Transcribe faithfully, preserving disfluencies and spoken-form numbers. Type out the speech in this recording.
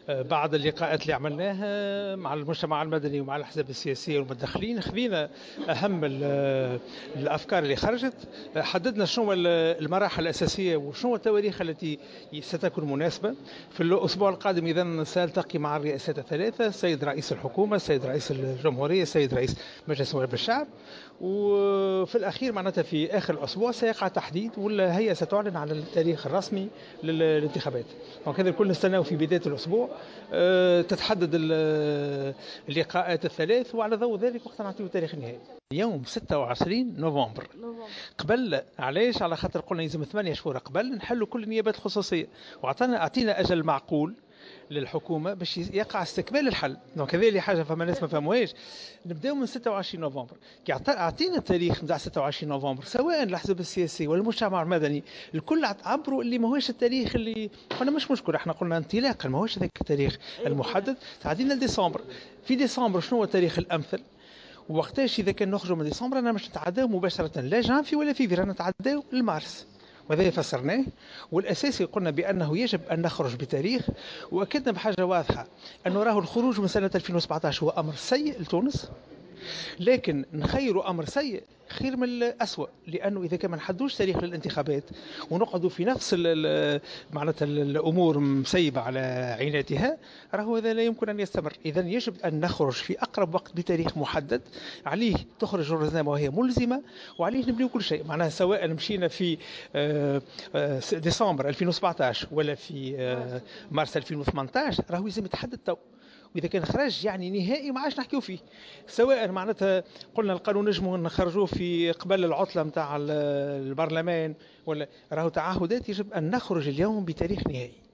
بعد اللقاءات اللي عملناها مع المجتمع المدني ومع الأحزاب السياسية والمتدخلين، خذينا أهم الأفكار اللي خرجت، حددنا شنو المراحل الأساسية وشنو التواريخ التي ستكون مناسبة. في الأسبوع القادم إذا سألتقي مع الرئاسات الثلاثة، السيد رئيس الحكومة، السيد رئيس الجمهورية، السيد رئيس مجلس نواب الشعب، وفي الأخير معناتها في آخر الأسبوع سيقع تحديد والهيئة ستعلن على التاريخ الرسمي للانتخابات. donc هذا الكل نستناه في بداية الأسبوع، أه تتحدد اللقاءات الثلاث، وعلى ضوء ذلك وقت نعطيه التاريخ النهائي. يوم ستة وعشرين نوفمبر. قبل علاش؟ على خاطر قلنا يلزم ثمانية شهور قبل نحلوا كل النيابات الخصوصية، وعطانا اعطينا أجل معقول للحكومة باش يقع استكمال الحل. donc هذه اللي حاجة فما ناس ما فهموهاش. نبداو من ستة وعشرين نوفمبر، كي اعطينا التاريخ نتاع ستة وعشرين نوفمبر، سواء الاحزاب السياسية ولا المجتمع المدني الكل عبروا اللي ماهوش التاريخ اللي قلنا مش مشكل، احنا قلنا انطلاقا ماهوش هذاك التاريخ المحدد، تعدينا لديسمبر. في ديسمبر شنو هو التاريخ الامثل؟ وقتاش اذا كان نخرجوا من ديسمبر انا مش نتعداو مباشرة لا جانفي ولا فيفري، رانا نتعداو لمارس، وهذا فسرناه. والاساسي قلنا بانه يجب ان نخرج بتاريخ، واكدنا بحاجة واضحة انه راهو الخروج من سنة ألفين وسبعطاش هو امر سيء لتونس، لكن نخيروا امر سيء خير من الأسوأ، لانه اذا كان ما نحدوش تاريخ للانتخابات ونقعدوا في نفس معناتها الامور مسيبه على عيناتها، راهو هذا لا يمكن ان يستمر. اذا يجب ان نخرج في اقرب وقت بتاريخ محدد عليه تخرج الرزنامه وهي ملزمة، وعليه نبنيو كل شيء. معناها سواء مشينا في ديسمبر ألفين وسبعطاش ولا في مارس ألفين وثمنطاش، راهو لازم يتحدد تو، واذا كان خرج يعني نهائي ما عادش نحكيو فيه. سواء معناتها قلنا القانون نجمو نخرجوه في قبل العطلة نتاع البرلمان ولا، راهو تعهدات يجب ان نخرج اليوم بتاريخ نهائي.